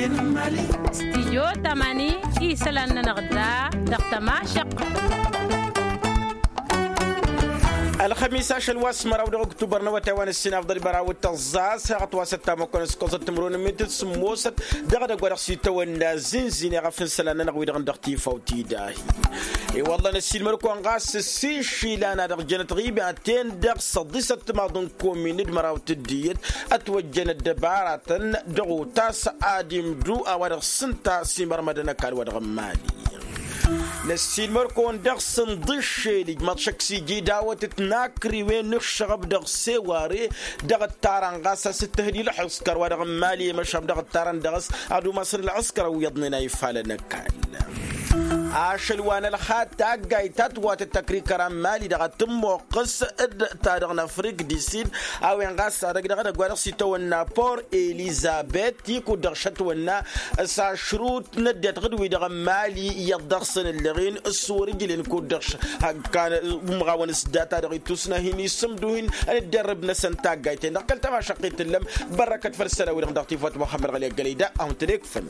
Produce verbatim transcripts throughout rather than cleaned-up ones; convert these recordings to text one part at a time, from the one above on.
Stijyo tamani isălan-nănăɣ da dăɣ-tămašăqq. Ălxămis ašăl wa s-măraw dăɣ-oktubăr n-awătay wa n-ǝssin afḍăl i-măraw d-tăẓẓa s-heɣăt wa s-ăttamăkkonen s-ikoẓăt timǝrwen n-mintit sǝmmosăt dăɣ-edăgg wa dăɣ-s itawănna zǝnzine ɣef n-isălan-nănăɣ wi-dăɣ n-dăɣ-tifawt-i dahi. I-wălla năssiilmăd-kăwăn ɣas s-išilan a dăɣ-jănăt ɣibaten-dăɣ s-ăḍḍisăt timaḍ n-komin d-măraw tiddiyăt ătwăjjăn ăddăbaratăn dăɣ-otas ad-imdu a-wa dăɣ-s ǝnta s-imărmădăn ăkall wa dăɣ-n mali. Năssiilmăd-kăwăn dăɣ-s n-iḍǝššel ijmaḍ šăkk s-iji dawăt d-tinakriwen n-ǝššăɣăb dăɣ-seware dăɣ-ǝttarăn ɣas a-s ǝttăhǝd i-ǝlḥǝskăr wa dăɣ-n mali i-măšan dăɣ-ǝttarăn dăɣ-s ad-umasăn ǝlɣǝskăr ăwwiḍnen a ifalăn ăkall. Ašăl wa n-ălxad taggayt ta tǝwwatăt tăkrikăra n-mali-dăɣ ad-tǝmmoqqǝs d-ta-dăɣ n-afrik di sid a-wen ɣas ad-ăgg dăɣ-edăgg wa dăɣ-s itawănna por elizabet i-kud-dăɣ šătwănna s-ašrut n-ăddinăt ɣǝd-wi-dăɣ n-mali iyyăḍ dăɣ-săn ǝllăɣen s-wăr-ǝjlen kud-dăɣ š-hăgg kan umɣawăn s-data-dăɣ ittusna hin-isǝmduhin n-ǝdderrǝb-năsăn taggayt-en-dăɣ kăl-tamašăqqit tǝllăm. Bărrăkăt făll-isălan-wi-dăɣ dăɣ-tifawt muxămmăd ɣăli ăggălăy da a-wen-tăn-ekfăn.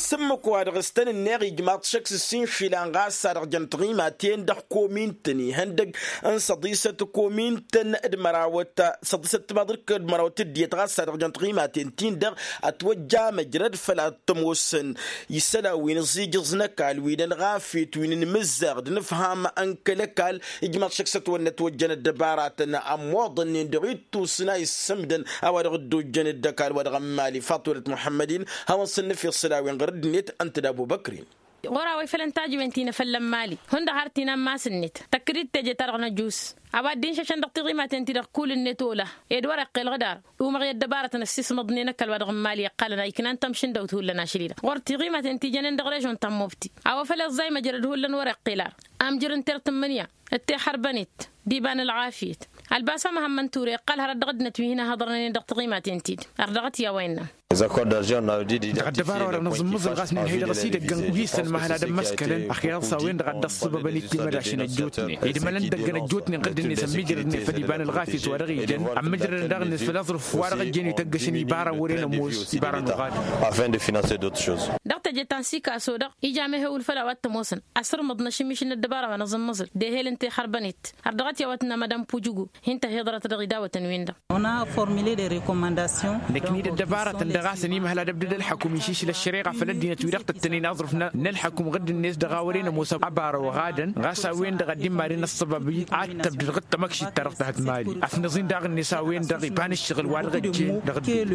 S-ǝmmǝk wa dăɣ-s tăn-ǝnneɣ ijmaḍ šăkk s-ǝssin išilan ɣas a dăɣ-jăn tiɣimaten dăɣ-komin-tăn ihăndăg n-săḍisăt komin-tăn d-mărawăt săḍisăt timaḍ d-mărawăt tiddiyăt ɣas a dăɣ-jăn tiɣimaten-tin-dăɣ ătwăjja măjrăd făll-ad-t-ămoosăn isălan wi n-aẓijǝẓ n-ăkall wi n-ălɣafyăt wi n-inmǝzzaɣ d-inǝfham n-kăl-ăkall. Ijmaḍ šăkk s-ătwănna ătwăjjăn ăddăbaratăn ămmoḍănnen dăɣ-ittus n-a issǝmdăn a-wa dăɣ-dd-ojjăn d-ăkall wa dăɣ-n mali faṭulăt muḥămmăd-in. Hawăn-săn nǝfyăḍ isălan wi n-ɣur-ăddinăt ǝnta d-abubăkr-in. Ɣur-a-wa ifălăn tajǝwen ti n-afălla n-mali hundăɣ har tinammas-net tăkk-dd teje-ta-dăɣ n-ăjus a-wa dd-inšăšăn dăɣ-tiɣimaten-ti-dăɣ kull-net ola ed wăr-iqqel ɣǝdar. Umăɣ i-ăddăbarătăn ăssiismăḍnen ăkall wa dăɣ-n mali iqqalăn a iknan tamšǝndăwt hullan ašăl-i-dăɣ ɣur-tiɣimaten ti jănen dăɣ-režon ta n-mobti. A-wa făl iẓẓay măjrăd hullan wăr-iqqel ar amjăr n-tert n-imǝnǝya d-tixărbănet d-iba n-ălɣafyăt. Ălbasa măhămmăn ture iqqăl hărăt dăɣ-ăddinăt wi hin-ăhhăḍrănen dăɣ-tiɣimaten-ti-dăɣ ar dăɣ-t i-a-wa innă. Dăɣ-ăddăbara wa dăɣ-nǝẓǝmmǝẓǝl ɣas nǝnhăy dăɣ-s idăgg wi s-ănmăhăl ad-ămmăskălăn ăxyăḍ s-a-wen-dăɣ a dd-ăṣṣăbăbăn i-timădašăn ăjjootnen ed imălăn dăgg-ăjjootnen ɣǝddǝn-net ămmiijrădnen făll-iba n-ălɣafyăt wa dăɣ-ijăn ămmǝjrădăn daɣ-net făll-aẓrǝf wa dăɣ-ijăn ităggăšăn ibara wăren ămoos ibara n-uɣad. Afin de financer d'autres choses. Dăɣ-teje ta n-sikaso-dăɣ ija mehewǝl făll-a-wa t-ămoosăn asǝrmǝḍ n-ašǝmiš n-ăddăbara wa nǝẓǝmmǝẓǝl d-ehel n-tixărbănet. Ărdăɣăt i-a-wa tǝnna madam pujugu hin-tăhiḍărăt dăɣ-idawătăn-win-dăɣ. Năkned ăddăbarătăn dăɣ-a-s ănimhăl ad-ăbdăd ălḥăkum išǝšla ăššăreɣa făll-ăddinăt wi dăɣ-tăttănen aẓrǝf n-ălḥăkum ɣǝdd-net dăɣ-a wăren ămoos ăbara oɣadăn ɣas a-wen-dăɣ ad-dd-immaden ăṣṣăbab ad-tăbdăd ɣǝd tamăkšit-ta-dăɣ tăhăt mali. Afnăẓ-in daɣ-net a-wen-dăɣ iba n-ǝššăɣǝl wa dăɣ-ăjjeen dăɣ-ăddin.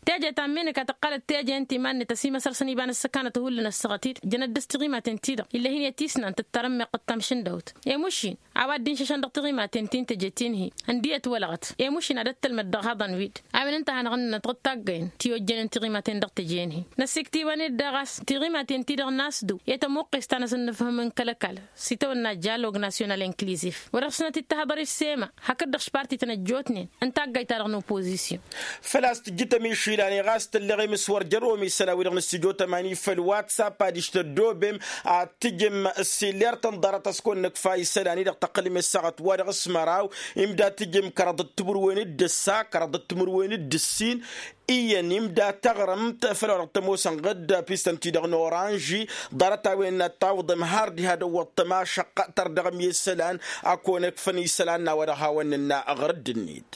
Teje ta n-menăka tăqqălăt teje ǝnta iman-net ăsimăsăr-săn iba n-ăssăkanăt hullan ăssaɣăt-dd jăn ăddăs tiɣimaten-ti-dăɣ ill'-e hin-e tisnant d-tarămmeɣt d-tamšǝndăwt. Emušin a-wa dd-inšăšăn dăɣ-tiɣimaten ti n-teje ti n-hi ǝndiyăt wălăɣăt. Emušin ad-ăttălmăd dăɣ-ihaḍăn-wi-dd a-wen ǝnta a hanăɣ-ǝnnănăt ɣǝd taggăyăn ti ojjănen tiɣimaten dăɣ-teje n-hi. Năssiktǝy-wăn-dd daɣ a-s tiɣimaten-ti-dăɣ n-asdǝw i-tămuqqes ta n-asǝnnǝfhǝm n-kăl-ăkall s-itawănna jalog nasyonal inklizif wa dăɣ-s nătittăhăḍăr i-ăssema hakd-dăɣ šparti-tăn ăjjootnen n-taggayt-ta-dăɣ n-opozisyon. Făl-a-s tǝjjǝtăm išilan i-ɣas tălleɣem s-wăr jăr-omi isălan-wi-dăɣ n-ǝssǝjo tămani făll-watsap adiš tăddoobem ad-tǝjǝm ăssilert n-ḍarăt a-s kăwăn-nǝkfa isălan-i-dăɣ tăqqălem i-ăssaɣăt wa dăɣ-s măraw imda tǝjǝm kăraḍăt timǝrwen d-ǝssa kăraḍăt timǝrwen d-ǝssin. Iyyăn imda taɣrǝmt făll-a-wa dăɣ-tămoosăn ɣǝd pistăn-ti-dăɣ n-oranži. Ḍarăt-a-wen n-ad-tawǝḍăm har diha dăɣ-wăḍ tămašăqq tărdăɣăm i-isălan a kăwăn-ǝkfăn isălan n-a-wa dăɣ-hawăn-nǝnna ɣǝrǝdd-net.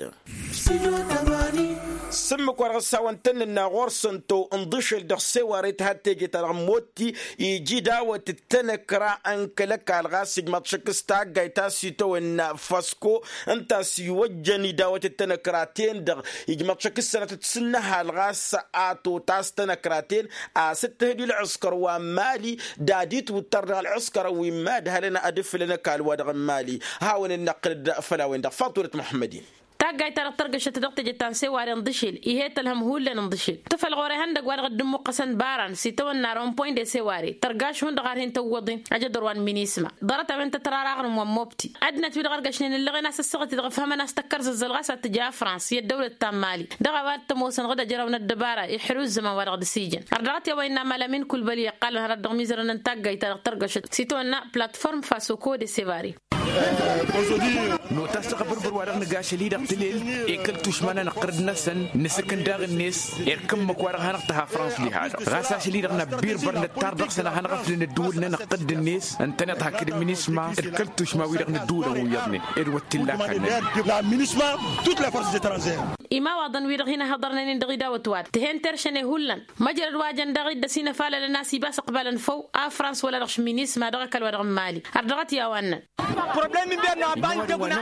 S-ǝmmǝk wa dăɣ-s hawăn-tăn-nǝnna ɣur-săn-to ǝnḍǝšel dăɣ-seware tǝha d-teje-ta-dăɣ n-motti iji dawăt d-tanăkra n-kăl-ăkall ɣas ijmaḍ šăkk s-taggayt ta s-itawănna făsko ǝnta a-s iwăjjăn idawăt d-tanăkra-ten-dăɣ. Ijmaḍ šăkk s-sănătăt s-ǝnnăhal ɣas a totas tanăkra-ten a-s ǝttăhǝd i-ălɣǝskăr wa n-mali d-ad-itwǝttăr dăɣ-ălɣǝskăr wi n-imadhalăn ad-ǝflăn ăkall wa dăɣ-n mali. Hawăn-dd-năqqǝl-dd făll-a-wen-dăɣ faḍulăt muḥămmăd-in. Taggayt-ta-dăɣ tărgăšăt dăɣ-teje ta n-seware ǝnḍǝšel ih'-e tălhăm hullan ǝnḍǝšel tǝfăl ɣur-ehăndăgg wa dăɣ-dd-ǝmmuqqăsăn baran s-itawănna rompoyn de seware tărgaš hundăɣ har hin-tăwwăḍen ajădor wa n-minisma. Ḍarăt-a-wen tăt-rarăɣrǝm wa n-mobti ăddinăt wi-dăɣ ărgăšnen ǝllăɣen a-s ăssaɣăt-i-dăɣ ǝfhămăn a-s tăkkăr zăzzăl ɣas ad-tǝja afrans i-ăddăwlăt ta n-mali. Dăɣ-a-wa t-ămoosăn ɣǝd ăjrăw n-ăddăbara iḥru ǝzzăman wa dăɣ-dăr-s ijăn ărdăɣăt i-a-wa innă amălăm-in kulbăli iqqalăn hărăt dăɣ-imizărăn n-taggayt-ta-dăɣ tărgăšăt s-itwănna platform fasoko de sevare. Nota s-dăɣ-abărbăr wa dăɣ-nǝga ašăl-i-dăɣ tǝlel i-kăl-tušma n-anăqqărăd-năsăn. Nǝsǝkǝn daɣ-net irkǝmmăk wa dăɣ-hanăɣ-tăha frans diha-dăɣ ɣas ašăl-i-dăɣ n-abbir băr nǝttar dăɣ-săn ad-hanăɣ-ăflǝn ăddǝwǝl-nănăɣ tădd-net. Ǝntăneḍ hakd minisma d-kăl-tušma-wi-dăɣ n-ăddǝwǝl ănwǝyyăḍnen d-wăt t-illa. Kannăn minisma d-tut la force de tranzer. Imawaḍăn-wi-dăɣ hin-ăhhăḍărnen-in dăɣ-idawăt-wa-dăɣ tǝhen teršăne hullan. Măjrăd wa jăn daɣ-i dd-ăsinăfalălăn a-s ibas ăqbalăn făw a frans wăla dăɣ-minisma dăɣ-ăkall wa dăɣ-n mali. Ărdăɣăt i-a-wa ǝnnăn. Probleme n-biyănnu a banjăguna.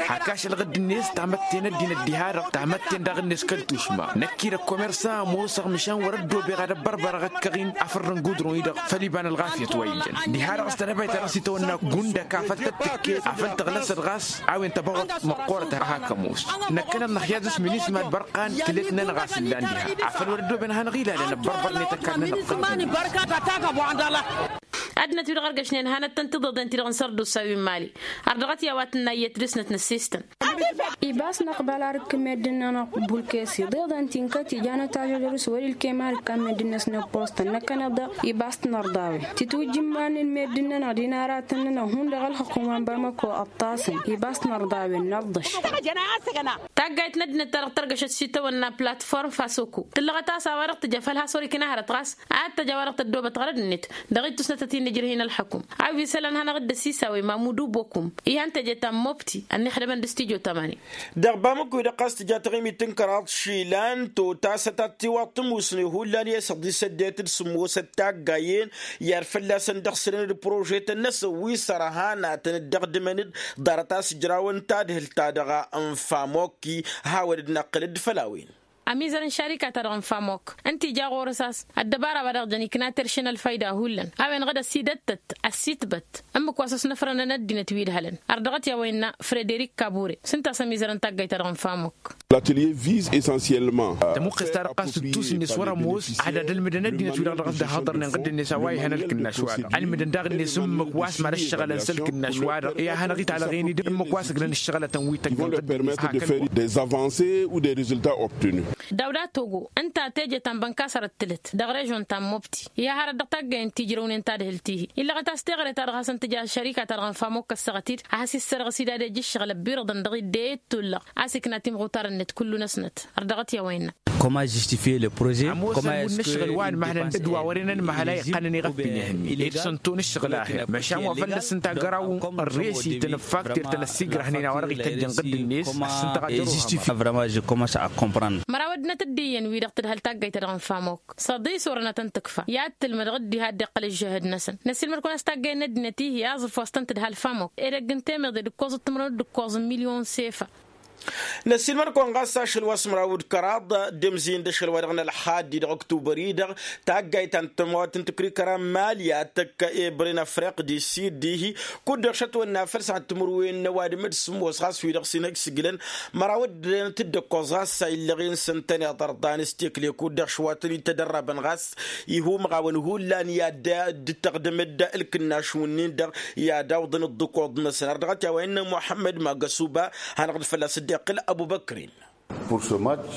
Hak ašăl ɣǝdd-net tamătten ăddinăt diha-dăɣ tamătten daɣ-net kăl-tušma năkk-i d-ăkkomersa ămoosăɣ măšan wăr-ăddoobeɣ ad-ăbbărbărăɣ ăkkăɣ-in afăr n-gudron-i-dăɣ. Făll-iba n-ălɣafyăt wa ijăn diha-dăɣ s-tănăbayt ta dăɣ-s itawănna gundăk afăl tăt-tǝkket afăl tăɣlăsăt ɣas a-wen tăbaɣut măqqoorăt a hakămoos. Năkkăneḍ năxyaz s-minisma d-bărqan tǝlet-nănăɣ a-s ǝllan diha afăl wăr-ăddooben ad-hanăɣ-ilalăn ăbbărbărnet ăkall-nănăɣ. Ăddinăt-wi-dăɣ ărgăšnen hanăt-tăn-tiḍeḍen-ti-dăɣ n-sărdusa wi n-mali. Ărdăɣăt i-a-wa tǝnna iyyăt dăr-snăt n-ăssistăn. Ibas năqbal arǝkkǝn meddǝn-nănăɣ bulkes iḍeḍen ti n-kăt ijanăt ažădăr s-wăr-ilkem arǝkkan meddǝn-năsnăɣ post-tăn năkkăneḍ-dăɣ. Ibas t-nărḍawen titwǝjjǝmmanen meddǝn-nănăɣ d-inaratăn-nănăɣ hundăɣ ălxǝqq n-wa n-bamăko ăṭṭasăn. Ibas t-nărḍawen năḍḍăš. Taggayt n-ăddinăt ta dăɣ-tărgăšăt s-itawănna platform fasoko tǝllăɣăt a-s a-wa dăɣ-tǝja făl has-wăr-ikinahărăt ɣas ad-t-ăj a-wa dăɣ-tăddoobăt ɣărăd-net. Dăɣ-ittusnăt ătinǝjrǝh-in ălxăkum a-wi isălan hanăɣ-dd-ăsisawe mamudu bokum ihăn teje ta n-mobti ănnixdămăn d-studyo tamani. Dăɣ-bamăko-i-dăɣ ɣas tǝja taɣimit n-kăraḍ išilan totasăt ad-tiwaḍ tămusne hullan i-asăḍ isăddetăd sǝmmosăt taggayen i-ad-fălla-săn dăɣ-sǝlăn d-prožetăn-năsăn wi sărhanatăn dd-ăɣdǝmăn-dd. Ḍarăt a-s ǝjrawăn tadhǝlt-ta-dăɣ n-famokki hawăn-dd-năqqǝl-dd făll-a-wen. Ămizăr n-šarika-ta-dăɣ n-famok ǝnta ija ɣur-s a-s ăddăbara wa dăɣ-jăn ikna terše n-ălfayda hullan a-wen dăɣ-dd-ăsidăttăt ăsitbăt ǝmmǝk wa s-ăsnăfrăn ăddinăt wi ǝdhălăn. Ărdăɣăt i-a-wa innă frederik kabure s-ǝnta a-s ămizărăn taggayt-ta-dăɣ n-famok. L'atelier vise essentiellement. Tămuqqes-ta-dăɣ ɣas d-tusǝnne s-wăr-ămoos ad-ad-ǝlmǝdăn ăddinăt-wi-dăɣ dăɣ-s dd-hăḍărnen ɣǝddǝn-net a-wa ihăn ălkǝnnaš-wa-dăɣ ălmǝdăn daɣ-net ǝmmǝk wa s-mad-ăššăɣǝlăn s-ălkǝnnaš-wa-dăɣ i-ad-hanăɣ-italăɣen-dd ǝmmǝk wa s-ǝglăn ǝššăɣǝlătăn wi tăjjăn ɣǝddǝn-net hakd. Des avancées ou des résultats obtenus. Dawda togo ǝnta teje ta n-bănkasărăt tǝlăt dăɣ-režion ta n-mobti. Iha hărăt dăɣ-taggayen ti ǝjrăwnen tadhǝlt-ihi illăɣăt a-s teɣăre-ta-dăɣ hasăn-tǝja šărika-ta-dăɣ n-famok kăssăɣăt-dd ad-has-issărɣǝs-dd ad-ej ǝššăɣǝl ăbbirăḍăn dăɣ-idde i-dd-tullăɣ a-s ikna timɣutar-net kullu-năsnăt. Ărdăɣăt i-a-wa innă. Ămoosăn wi n-ǝššăɣǝl wa ănmăhlăn d-wa wăren ănmăhăl a iqqanăn iɣăffin ihǝnni iksăn ton ǝššăɣǝl a hir măšan wa fălla-s ǝnta găraw ărresităn ăffakter-tăn ăssigrăhnen a-wa dăɣ-ităjjăn ɣǝddǝn-net. Ăssintăɣ ajăruhăɣ. Măraw ăddinăt dd-iyyăn wi-dăɣ tǝdhăl taggayt-ta-dăɣ n-famok săḍis orănăt n-tǝkfa i-ad-tǝlmǝd ɣǝddiha a dd-iqqăl ǝžžăhăd-năsăn. Năssiilmăd-kăwăn a-s taggayăn n-ăddinăt-ihi aẓǝf wa s-tăn-tǝdhal famok edăgg n-temeḍe d-ǝkkoẓăt timǝrwen d-ǝkkoẓ n-milyon sefa. Năssiilmăd-kăwăn ɣas ašăl wa s-măraw d-kăraḍ d-emzǝyăn d-ašăl wa dăɣ-nălxaddi dăɣ-ăktubăr-i-dăɣ taggayt ta n-tămawt n-tǝkrikăra n-mali ad-tăkk ebre n-afriq d-isid dihi. Kud-dăɣ šătwănna făll-săn timǝrwen n-ăwadǝm d-sǝmmos ɣas wi-dăɣ s-inhăj s-iglăn măraw ăddinăt dd-ăkkoẓ ɣas a illăɣen s-ǝntăneḍ ărḍan s-tekle kud-dăɣ šwatăn-itădărrabăn ɣas ihumăɣ-awăn hullan i-ad-dd-tăɣdăm-dd ǝlkǝnnaš-wǝnnin-dăɣ i-ad-awḍăn dd-ǝkkoḍ-năsăn ărdăɣăt i-a-wa innă muḥămmăd magăsuba. Hanăɣ-dd fălla-s dd-iqqǝl ăbubăkrin. Pour ce match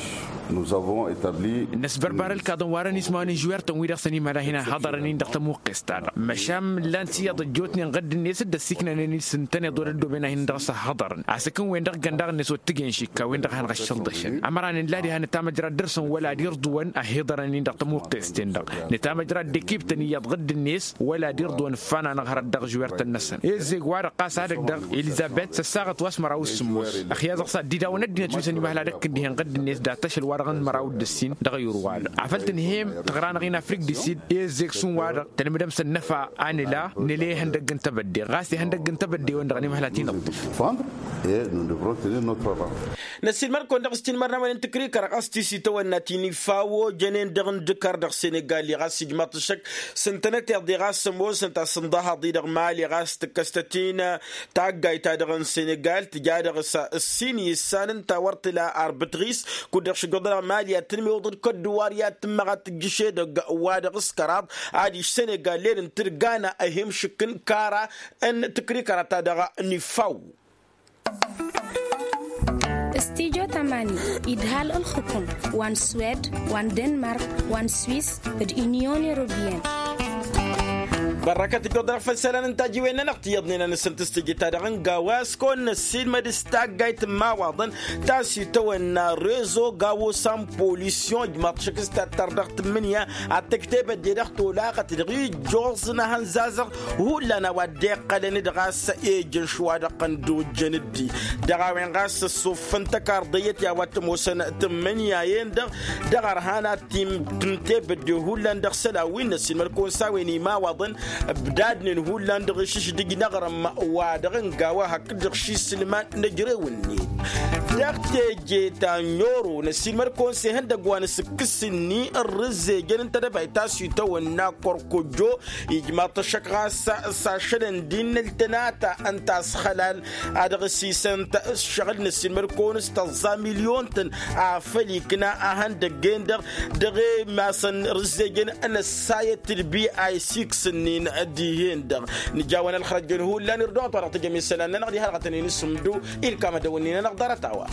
nous avons établi. Năsbărbar ǝlkaḍăn wa dăr-nismawăn n-žwertăn wi dăɣ-săn imala hin-ăhhăḍărăn-in dăɣ-tămuqqest-ta-dăɣ măšan ǝllan s-iyyăḍ ăjjootnen ɣǝdd-net dd-ăsiknănen-dd s-ǝntăneḍ wăr-ăddooben ad-hin-dăɣ-s ăhhăḍărăn. Asǝkǝn-wen-dăɣ găn daɣ-net wăr t-ǝjen šikka-wen-dăɣ hanăɣ-ăššălḍăšăn ămăra nǝlla diha nǝtamăjrad dăr-săn wăla ad-irḍǝwăn ăhiḍărăn-in dăɣ-tămuqqest-ten-dăɣ. Nǝtamăjrad d-ekiptăn iyyăḍ ɣǝdd-net wăla ad-irḍǝwăn ǝffananăɣ hărăt dăɣ-žwertăn-năsăn. Ezzeg wa dăɣ-ɣas ad-ăgg-dăɣ elizăbet s-ăssaɣăt wa s-măraw s-sǝmmos. Ăxya dăɣ-s ad-dd-idawăn ăddinăt wi s-ănimăhăl ad-ăkk ǝndihen ɣǝdd-net dat-ašăl wa dăɣ-nǝmăraw d-ǝssin dăɣ-ayǝr-wa-dăɣ afăl tǝnhăyăm tăɣra-năɣ-in afrik d-isid. Ezzeg šund-wa-dăɣ tălmǝdăm s-ănnăfa a nǝla nǝla ihăndăgg n-tebădde ɣas ihăndăgg n-tebădde-wen-dăɣ ănimăhăl ad-t-inăḍḍǝf. Năssiilmăd-kăwăn dăɣ-s tinmărnawăn n-tǝkrikăra ɣas ti s-itawănna ti n-ifawo jănen dăɣ-indǝkar dăɣ-senegali ɣas ijmaḍ-t ǝššăk s-ǝntănăteḍ-i ɣas ămoosăn ta s-ǝnḍăhăḍ-i dăɣ-mali ɣas tǝkkăs-tăt-in taggayt-ta-dăɣ n-senegal tǝja dăɣ-s ǝssin issan ǝnta wăr tǝla arbǝtɣis. Kud-dăɣ šǝggăḍ-năɣ mali ad-tǝnmewăḍ d-kădduwar i-ad-tǝmmăɣ ad-tǝjjǝš edăgg wa dăɣ-s kăraḍ adiš senegal lel n-tǝrgana ăhimšǝk n-kara n-tǝkrikăra-ta-dăɣ n-ifaw. Studyo tamani idhal ǝlxǝkǝm wa n-swed wa n-denmark wa n-swis d-unyon europeyenne. Bărrăkăt ǝjjuḍ dăɣ-făll-isălan n-tajiwen-nănăɣ tiyyăḍnen a nǝsǝntǝstǝjǝt-ta-dăɣ n-gawa a-s kăwăn-năssiilmăd s-taggayt n-imawaḍăn ta s-itawănna rezo gawo s-anpolisiyon ǝjmaḍ šăkk s-tattăr dăɣ-tǝmmǝnǝya ad-tǝkteb ăddinăɣ tolaɣăt dăɣ-ijjoẓ n-ehăn zazăɣ. Hullan a-wa dd-iqqălăn d-ɣas ejăn šwa-dăɣ n-dd-ojjăn-dd-i dăɣ-a-wen ɣas ăssuffăn tăkarḍăyăt i-a-wa t-ămoosăn tǝmmǝnǝya-en-dăɣ dăɣ-ărhan ad-t-imtǝnteb ădde hullan dăɣ-isălan wi n-ăssiilmăd-kăwăn s-a-wen imawaḍăn ǝbdadnen hullan dăɣ-išǝšdǝj n-aɣrǝm wa dăɣ-ǝnga wa hakd-dăɣ šisǝlman n-ejrew-net. Dăɣ-teje ta n-oro n-ăssiilmăd-kăwăn s-ihăndăgg wa n-asǝkkǝs-ni ărrǝzzejăn n-tedăbayt ta s-itawănna kărkojjo ijmaḍ-t ăššăk ɣas s-ašălăn d-innăl tănata ǝnta a-s xălal ad-ăɣsisăn-t ǝššăɣǝl n-ăssiilmăd-kăwăn s-tăẓẓa milyon-tăn afăl ikna ahăndăgg-en-dăɣ dăɣ-e-masăn rǝzzejăn n-ăssayăt d-bi a isiksǝnnin dihen-dăɣ. Nǝjawăn ălxărăjjăn hullan irduɣăt wa dăɣ-tǝjjăm isălan-nănăɣ diha-dăɣ a tăn-in-isǝmdu ilkam ad-dăwǝnnin-nănăɣ ḍarăt-a-wa.